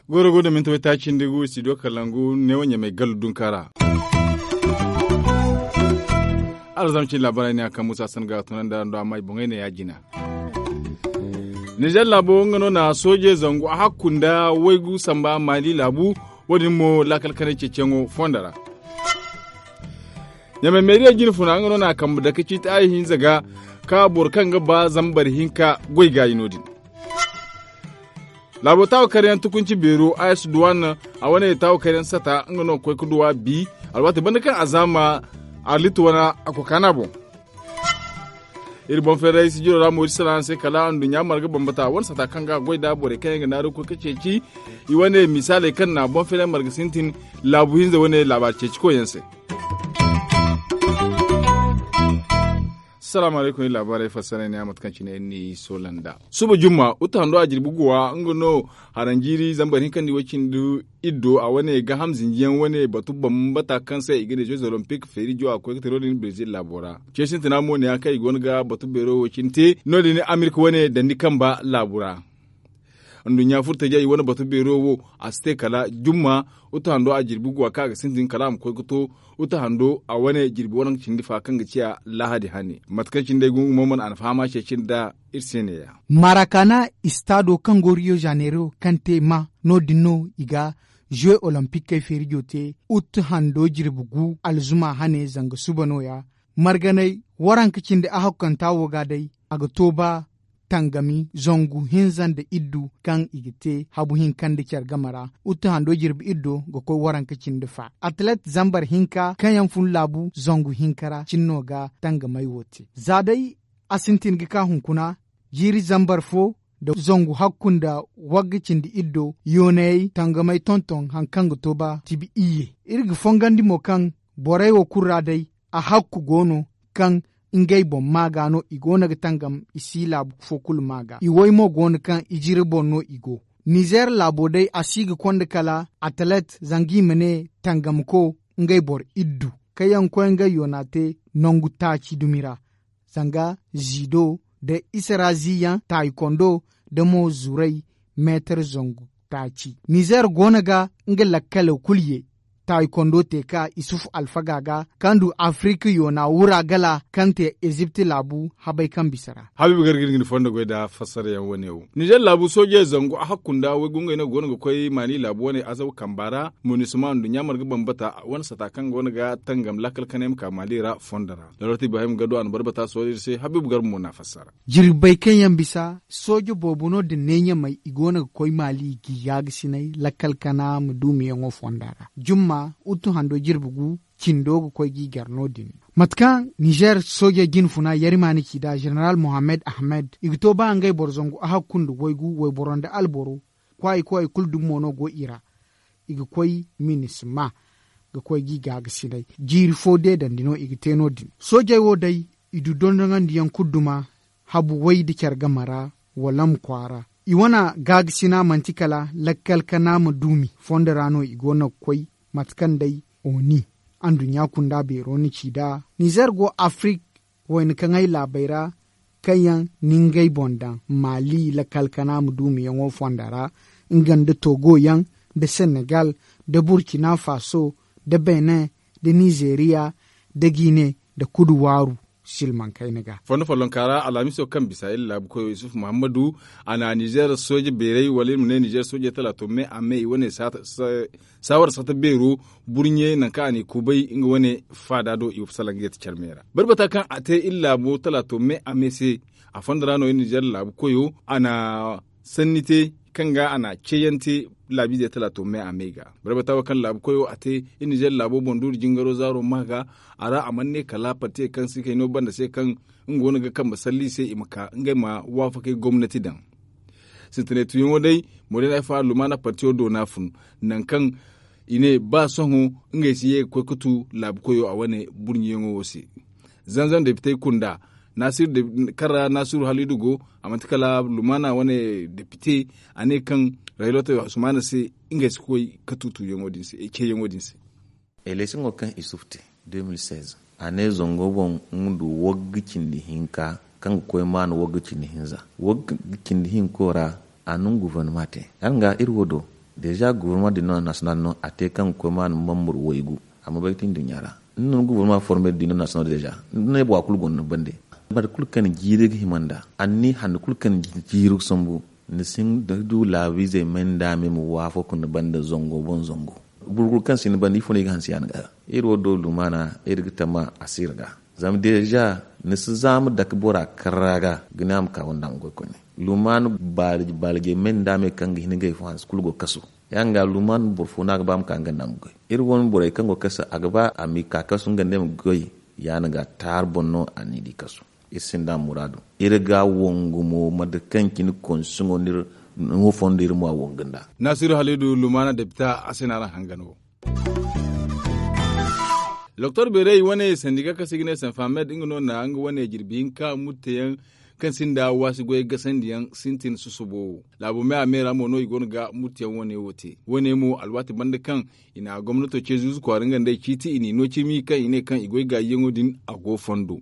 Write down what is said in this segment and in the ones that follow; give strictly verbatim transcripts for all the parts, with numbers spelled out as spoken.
Gooro go da minti waytaaci nda gu studio kalangu neewo ɲamay gallu dunka ra. Alzamcin laabaarey ne a kaŋ muusa san ga tunandi araŋ do amma i boŋey ne ya- jina. Nizer laabo nga no na sooje zangu a hakku nda waygu samba maali laabu. Wo- din mo laakal kanay ceeciyaŋo fondo ra. Ɲamay meeriya jine funa nga no na a kambe dake ciiti a ihinza ga ka boro kaŋ ga ba zambar hinka goy gaayi no- din. Laabo taawa karyaŋ tukunci beero a s duwan a wane taawa karyaŋ sata nga no ga koy ga duwa bi. Alwaati banda kaŋ a zaama arlit wane a kokaana boŋ. Iri boŋ feeray sijiro ra moori sara se kala anduɲɲa marga bambata wane sata kaŋ ga goy nda borey kaŋ yaŋ ga naaru ga koy ga ceeci. I wane misaaley kaŋ na boŋ feeray marga sintin laabu hinza wane laabaari ceeci koyyaŋ se. Salaamu alaykum iri laabaarey fassara ne a mate kaŋ cine iri n'i soola nd'a. Suba jumma uta hando a jirbi guwa nga no haranjiiri zambar hinka nda i way cindi iddo a wane gaaham zinjiyaŋ wane batu bambata kaŋ se i ga ne jeux olympique feeri jo a ga koy ga te no- din brezil laabo ra. Ceesintina mo ne yaŋ kaŋ i go no ga batu beero wo cine te no- din amerika wane dandi kamba laabu ra. Nduɲɲa furtajiya i wane batu beero wo a si te kala jumma. Uta hando a jirbi guwa kaŋ a ga sintin kala a ma koy ga to uta hando a wane jirbi waranka cindi fa kaŋ ga ciya lahadi hane mate kaŋ cine day gungu mo mana a na fahama ceeci nda iri se ne- ya. Marakana istado kaŋ go riyo zanero kaŋ te ma no- din no i ga jeux olympique kay feerijo te. Uta hando jirbi gu alzuma hane zanga suba no- ya. Marganay waranka cindi a hakkanta wo ga day a ga to ba tangami zangu hinza nda iddu kaŋ i ga te habu hinka nda care game ra. Uta hando jirbi iddo ga koy waranka cindi fa atlet zambar hinka kaŋ yaŋ fun laabu zangu hinka ra cine no ga tangamay wo te za day a sintin ga ka hunkuna jiiri zambar fo nda zangu hakku nda wagga cindi iddo yoonayey tangamey tonton hari kaŋ ga to ba tibi iyye. Iri ga fongandi mo kaŋ borey wo kulu ra day a hakku go no kaŋ ngey boŋ maa ga no i go no ga tangam i si laabu fo kulu maa ga i way mo go no kaŋ i jiri boŋ no i go. Nizer laabo day a si ga konda kala atlet zanga i ma ne tangamko ngey boro iddu kaŋ yaŋ koy ngey yoona te nangu taaci dumi ra. Zanga zido nda isarazi yaŋ taayi kondo nda mo zuray meetar zangu taaci nizer go no ga nga lakkalo kulu ye taayi kondo te ka isufu alfaga ga kaŋ du afirika yoona wura gala kaŋ te ezipti laabu habay kaŋ bisa ra. Habiibu gargir ga ni fondo goy nda fassara yaŋ wane wo nizer laabu soojey zangu a hakku nda waygu ngey no go no ga koy maali laabu wane azaw kamba ra. Munisima nduɲɲa marga bambata wane sata kaŋ go no ga tangam lakkal kanay ma ka maali ra fondo ra. Loroti ibrahim gado a na barbata soojey se habiibu garba mo na fassara. Jirbey kaŋ yaŋ bisa sooje boobo no din ne ɲamey i go no ga koy maali ga i gaagasinay lakkal kana ma duumiyaŋo fonda ra jumma utu hando jirbi gu cindo ga koy ga i gar no- din. Mate kaŋ nizer sooje jine funa yarima na ci nd'a zeneral mohammed ahmed i ga to ba ngey boro zangu a hakku nda waygu wayboro nda alboro kwaayi kwaayi kulu dumi mo no go i ra. I ga koy minisma ga koy ga i gaagasinay jiiri fo deedandi no i ga te no- din soojey wo day i du dondoŋandiyaŋ kulu duma habu way nda care game ra. Wala ma kwaara i wane gaagasina manti kala lakkal kana ma duumi fondo ra no i go no ga koy. Mate kaŋ day oni anduɲɲa kunda beero na ci nd'a nizer go afirik wayna kaŋ ay laabey ra kaŋ yaŋ na ngey boŋ daŋ maali lakkal kana ma duumiyaŋo fonda ra nga nda togo yaŋ nda senegal nda burkina faso nda benin nda nizeriya nda gine nda kudu waaru silmaŋ kayna ga. Fondo follonka ra alhamiso kaŋ bisa iri laabu koyo yusuf muhammadu a na nizer sooje beeray wala iri ma ne nizer sooje talaato me a me i wane saawara sata beero burɲe nangu kaŋ a n'i kubay nga wane faada do i salaŋ ga yate care me ra. Barbata kaŋ a te iri laabo talaato me a me se a fondo ra no iri nizer laabu koyo a na sanni te kaŋ ga a na ceeyaŋ te laabiizey talaato me a me ga. Barbata wo kaŋ laabu koyo a te iri nizer laabo boŋ duuri jingaro zaaro ma ga a ra a mana ne kala parti kaŋ si kay no banda se kaŋ nga wane ga kambe salli i se i ma ka ngey ma waafakay gomnati daŋ. Sintinay tuyaŋo day moodin ay fa lumaana partiyo do no a fun nangu kaŋ i ne ba sohõ ngey si ye ga koy ga tu laabu koyo a wane burɲiyaŋo wo se. Zanzan depitey kunda kaŋ ra naasiru haliidu go a manti kala lumaana wane depite a ne kaŋ raylote usmaana se ngey si koy ga tu tuyaŋo din se ceeyaŋo din se. Eleksiyoŋo kaŋ isuf te de mil seize, a ne zango boŋ nga du wagga cindi hinka kaŋ ga koy maana wagga cindi hinza. Wagga cindi hinko ra, a nungu guvarnama te. Yaŋ ga iri wo do, deeza guvarnama dindo nasiyonal no a te kaŋ ga koy maana mambur waygu. Amma bay tin duɲɲa ra, ni nungu guvarnama forme dindo nasiyonal deeza. Ni ne bora kulu gonda ni bande. Boro kulu kaŋ jiiri ga hima nda anni handu kulu kaŋ jiiri ga sambu. Ni si hin da du laabiizey may nda me ma waafo ka ni banda zango boŋ zango. Boro kulu kaŋ si ni banda ifo no i ga hanse yaŋ ga. Iri wo do lumaana iri ga tama a si iri ga. Zama deeza ni si zaama dake bora karra ga ga ne a ma ka wanda a ma goy koyne. Lumaana baalije may nda me kaŋ ga hin ga ifo hanse kulu go kasu. Yaŋ ga lumaana boro fo no a ga ba a ma ka nga nda a ma goy. Iri wane borey kaŋ go kasu a ga ba a ma i ka kasu nga nda ay ma goy. Yaŋ ga taari boŋ no a n'i di kasu. Iri sinda muraadu. Iri ga a wangu mo mate kaŋ cine konsiŋo no iri ma a wangu nd'a. Naasiru haliidu lumaana depita a se no araŋ hangan wo. Doktor beeray wane sandi ga kaŋ se i ga ne sanfamed nga no na nga wane jirbi hinka murteyaŋ kaŋ sinda waasi goyey gasandiyaŋ sintin susubo wo. Laabo me a me ra mo no i go no ga murteyaŋ wane wo te. Wane mo alwaati banda kaŋ i na gomnato ce zuuzu kwaara nga nd'ey ciiti i n'i no cimi kaŋ i ne kaŋ i goy gaayiyaŋo din a go fondo.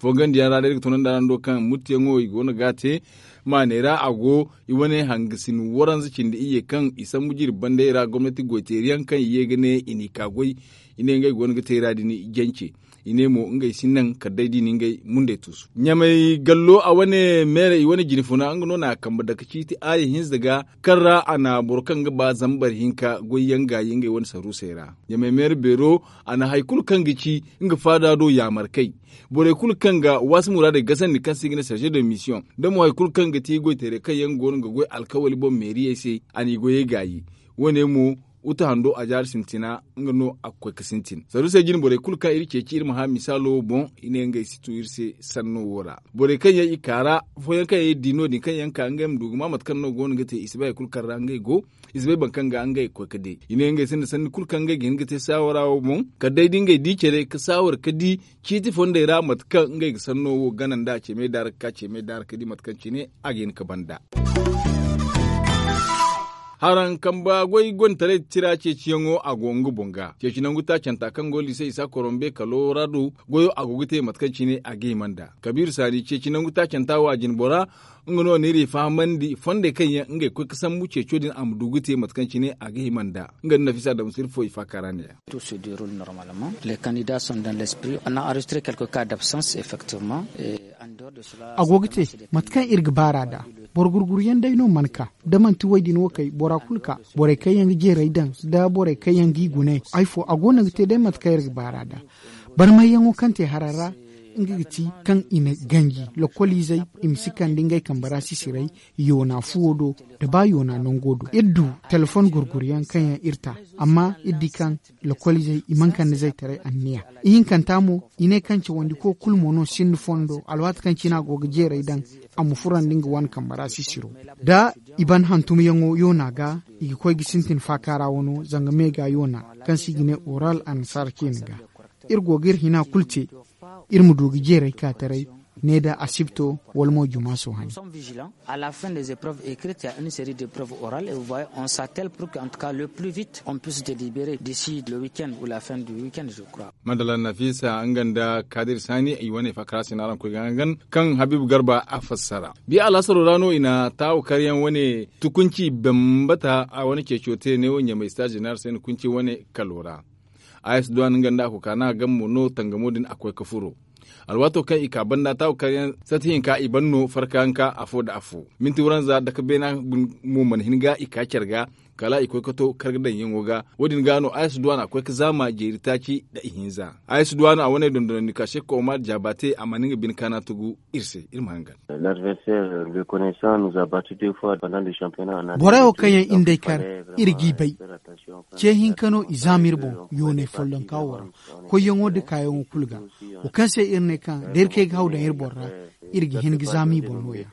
Fongandiyaŋ ra day iri ga tunandi araŋ do kaŋ murtiyaŋo i go no ga a te. Maaney ra a go i wane hangasin waranza cindi iyye kaŋ i sambu jiiri bandey ra gomnati goyteeriyaŋ kaŋ i ye ga ne i n'i ka goy. I ne ngey go no ga te i ra din jance. I ne mo ngey si naŋ kala day da i na ngey mundey tuusu ɲamay gallo a wane meere i wane jinfuna nga no na a kambe dake ciiti aayi hinza ga kaŋ ra a na boro kaŋ ga ba zambar hinka goyyaŋ gaayi ngey wane saruusey ra. Ɲamay meere beero a na hari kulu kaŋ ga ci nga faada do yaamar kay. Borey kulu kaŋ ga waasi muraadey gasandi kaŋ se i ga ne sarze de misiyoŋ da mo hari kulu kaŋ ga ti goyteerey kaŋ yaŋ go no ga goy alkawali boŋ meeriyey se a n'i goyey gaayi. Wo- ne mo uta hando a jaari sintina nga no a ga koy ga sintin saruusey jine borey kulu kaŋ iri ceeci iri ma hã misaalo wo boŋ. I ne ngey si tu iri se sanno wo ra borey kaŋ yaŋ i ka ra afooyaŋ kaŋ yaŋ iri di no- din kaŋ yaŋ ka ngey ma du ga ma mate kaŋ no go no ga te i si bay hari kulu kaŋ ra ngey go. I si bay boro kaŋ ga ngey ga koy ga de i ne ngey sinda sanni kulu kaŋ ngey ga hin ga te saawara wo boŋ kala day da ngey di care ga saawara ga di ciiti fondey ra mate kaŋ ngey ga sanno wo gana nd'a ceemey daara ga ka ceemey daara ga di mate kaŋ cine a ga hin ga ban nd'a. Haraŋ kamba goy gonda taray tira ceeciyaŋo a go nga boŋ ga ceeci nangu taacanta kaŋ go liise isa korombe kalo ra do goyo a go ga te mate kaŋ cine a ga hima nd'a kabiira saani ceeci nangu taacanta wo a jinbora. Nga no n'iri fahamandi fondey kaŋ yaŋ ngey ga koy ga sambu ceeco din a ma du ga te mate kaŋ cine a ga hima nd'a. Nga nda nafisa damsir fo i faaka ra ne ya. Tout se deroule normalement les candidats sont dans l'esprit on a enregistré quelque cas d'absence effectivement. A go ga te mate kaŋ iri ga baar'a nd'a boro gurguryaŋ day no mana ka da manti woy din wo kay bora kulu ka borey kaŋ yaŋ ga jeeray daŋ da borey kaŋ yaŋ g'i gune hari fo a go no ga te day mate kaŋ iri ga baar'a nd'a. Barmayyaŋo kaŋ te hara ra nga ga ti kaŋ i na ganji lokoliizey i ma si kande ngey kambe ra sisiray yoona fuwo do nda ba yoona nango do iri du telefon gurguryaŋ kaŋ yaŋ iri ta amma iri di kaŋ lokoliizey i mana kande zaytaray anniya. Ihinkanta mo i ne kaŋ cawandiko kulu mo no sinda fondo alwaati kaŋ cine a go ga jeeray daŋ a ma furandi nga wane kambe ra sisiro da i ban hantumyaŋo yoona ga i ga koy ga sintin faaka ra wano zanga me ga yoona kaŋ se i ga ne oral annasaara ceene ga. Iri go ga iri hina kulu te iri ma du ga jeeray ka taray ne da asibto wala mo juma sohani. A la fin des épreuves écrites ya une série d'épreuves orales et vous voyez on s'attelle pour que en tout cas le plus vite on puisse délibérer d'ici le week-end ou la fin du week-end je crois. Madala nafisa nga nda kadir sani i wane fakara sina araŋ koy ga hangan kaŋ habibu garba a fassara. Bi alhasaro ra no i na taawo karyaŋ wane tukunci bambata a wane ceeco te ne wo ɲamay star general se ni kunci wane kalo ra. Ayes duwan nga nda a koka na gammo no tangamo din a koy ka furo. Alwaato kaŋ i ka banda taawo karyaŋ sati hinka i ban no farkayanka afo nda afo minti waranza dake beena mo mana hin ga i ka care ga. Kala i koy ka to karga daŋyaŋo ga wo- din ga no ayes duwan a koy ka zaama jeeri taaci nda ihinza. Ayes duwan a wane dondonandi ka sekko omar jaabate a mana nga bine kaana tugu iri se iri ma hangan. Borey wo kaŋ yaŋ iri nd'ey kar iri g'i bay. Ce hinka no i zaama iri boŋ yoonay follonka wo ra koyyaŋo nda kaayaŋo kulu ga. Wo kaŋ se iri ne kaŋ da iri kay ga haw daŋ iri boŋ ra iri ga hin ga zaama i boŋ no- ya.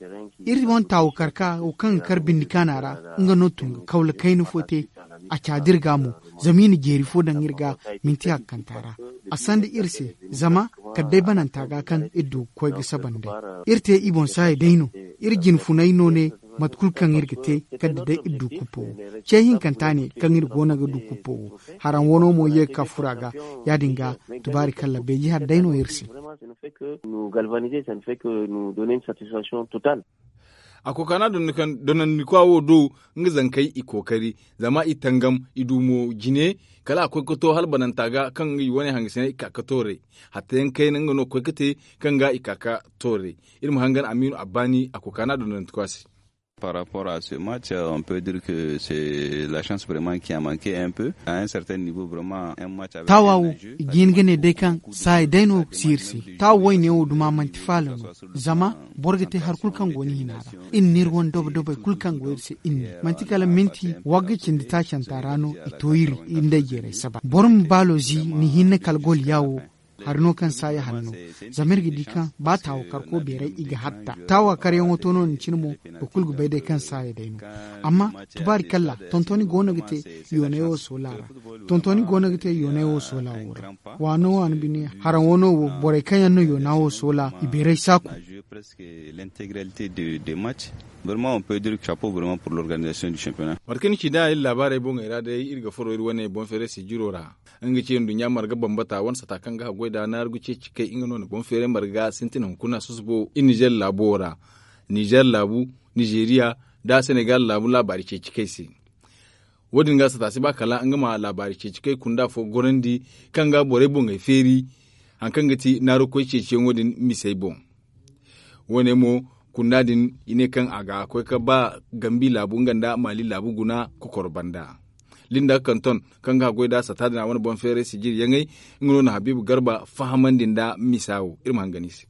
Iri wane taawo kar ka wo kaŋ ga kar bindi kaana ra nga no tun ga kawla kayna fo te. A caadi iri ga mo zama i na jeeri fo daŋ iri ga minti hakkanta ra. A sanda iri se zama kala day bananta ga kaŋ iri du ga koy ga saba nd'ey. Iri te i boŋ saaya day no iri jinfunay no ne. mate kulu kaŋ iri ga te kala da day iri du kuppo wo. Ce hinkanta ne kaŋ iri go no ga du kuppo wo, haraŋ wano mo ye ga ka furo a ga. Ya- din ga, tubaari kalla beeji hari day no iri se. A kookana donnandikwa wo do, nga zankey i kookari, zama i tangam, i du mo jine. Kala a koy ga to hala bananta ga kaŋ nga i wane hangasiney i ka ga tooray. Hatta yaŋ kayna nga no ga koy ga te, kaŋ ga i ka ga tooray. Iri ma hangan amiinu abbaani a kookana donnandikwa se. Par rapport à ce match, on peut dire que c'est la chance vraiment qui a manqué un peu à un certain niveau vraiment un match avec taawa wo, i ga hin ga ne day kaŋ saaya day no si iri se. Taawa wayne wo duma manti faala no. Zama boro ga te hari kulu kaŋ go ni hina ra. Iri n'iri wane dobo-dobey kulu kaŋ go iri se iri ne manti kala minti wagga cindi taacanta ra no i to iri nda ay jeeray saba boro ma baalo zi ni hinne kala gol ya wo. Hari no kaŋ saaya hari no. Zama iri ga di kaŋ ba taawa karko beeray i ga hatta taawa karyaŋo to no ni cine mo. Boro kulu ga bay day kaŋ saaya day no. Amma tubaari kalla tontoni go no ga te yoonay wo soola ra. Tontoni go no ga te yoonay wo soola wo ra. Waano waano bine haraŋo no wo borey kaŋ yaŋ no yoona wo soola i beeray saaku. Vraiment on peut dire chapeau vraiment pour l'organisation du championnat. Mate kaŋ ni ci da iri laabaarey boŋey ra day iri ga furo iri wane boŋ feeray sijiro ra. Nga ce nduɲɲa marga bambata wane sata kaŋ ga haggoy da naaru ga ceeci kay nga no na boŋ feeray marga sintina hunkuna susubo iri nizer laabo wo ra. Nizer laabu, nizeeriya, nda senegal laabu laabaari ceeci kay se. Wo- din ga sata si ba kala nga ma laabaari ceeci kay kunda fo gorandi kaŋ ga borey boŋey feeri. Hari kaŋ ga ti naarukoy ceeciyaŋo din misey boŋ. Wo- ne mo kunda din i ne kaŋ a ga koy ga ba gambi laabu nga nda maali laabu guna kokoro banda. Linda kanton kaŋ ga goy nda sata din a wane boŋ feeray sijiri yaŋey. Nga no na habiibu garba fahamandi nda misa wo iri ma hangan i se.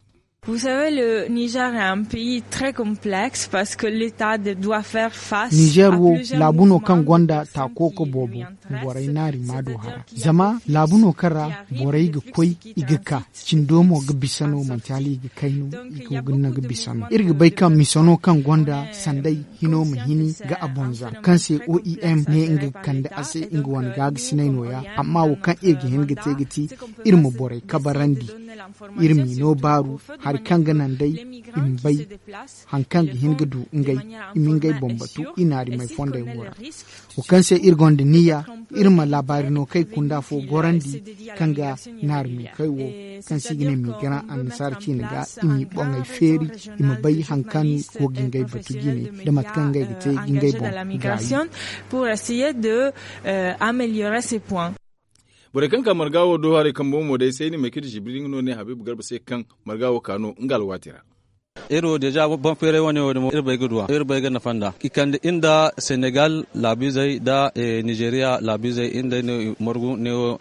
Vous savez, le Niger est un pays très complexe parce que l'État de- doit faire face nizer wo laabu no kaŋ gonda taako ga boobo. Borey naari ma du hara zama laabu no kaŋ ra borey ga koy i ga ka cindo mo ga bisa no manti hala i ga kay no. I go ga naŋ ga bisa no iri ga bay kaŋ misa no kaŋ gonda sanday hino ma hini ga a bonza kaŋ se oem ne nga ga kande a se nga wane gaagasinay nooya. Amma wo kaŋ iri ga hin ga te ga ti iri ma borey kabarandi iri m'i no baaru hari kaŋ ga naŋ day i ma bay hari kaŋ ga hin ga du ngey i ma ngey boŋ batu i naarimey fondey wo ra. Wo kaŋ se iri gonda niyya iri ma laabaari no kay kunda fo gorandi kaŋ ga naarimey kay wo kaŋ se i ga ne miigaran annasaara ciine ga i m'i boŋey feeri i ma bay hari kaŋ go ga ngey batu jine da mate kaŋ ngey ga te ga ngey boŋ gaayi. Pour essayer de améliorer ces points. Borey kaŋ ka marga wo do haray kambe mo day sayni maykidi zibiri nga no ne habiibu garba se kaŋ marga wo ka no nga alwaati ra. Iri wo deeza boŋ feeray wane wo damo iri bay ga duwa iri bay ga nafa nda i kande iri nda senegal laabiizey nda nizeeriya laabiizey iri nda ay no i margu neewo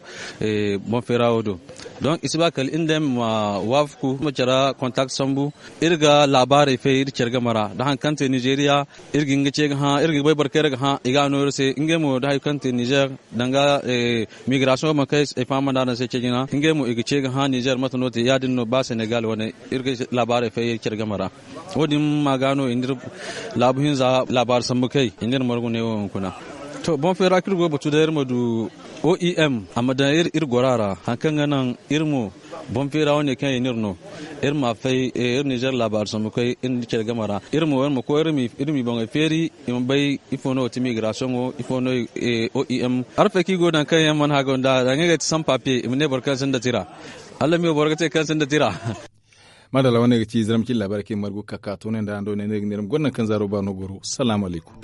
boŋ feera wo do. Donk i si ba kala iri nda ay ma waafaku ma care kontak sambu. Iri ga laabaarey fay iri care game ra da hari kaŋ te nizeeriya iri ga hin ga ce ga hã iri ga bay boro kaŋ iri ga hã i ga a no iri se ngey mo da hari kaŋ te nizer danga migrasion ma kay ay fahamanda araŋ se ceejina ngey mo i ga ce ga hã nizer mate no te ya- din no ba senegal wane iri ga laabaarey fay care game ra. Wo- din ma ga no i n'iri laabu hinza laabaari sambu kay i n'iri margu ne wo hunkuna. To boŋ feera kaŋ iri go ga batu day iri ma du oem a ma daŋ iri gora ra hari kaŋ ga naŋ iri mo boŋ feera wane kaŋ i n'iri no iri ma fay iri nizer laabaari sambu kay iri nda care game ra iri mo iri ma koy iri m'i boŋey feeri i ma bay ifo no ga ti migrasion wo ifo no oem. Arfaki go daŋ kaŋ yaŋ mana haga nda da ngey ga ti san papiye i ma ne boro kaŋ sinda tira. Alla miyo boro ga te kaŋ sinda tira. Madalla wane ga ci zaramci laabaari kaŋ i margu kaka to ne nda ando ne ne ga neeram gonda kaŋ zaaro ba no goro salaamu alaykum.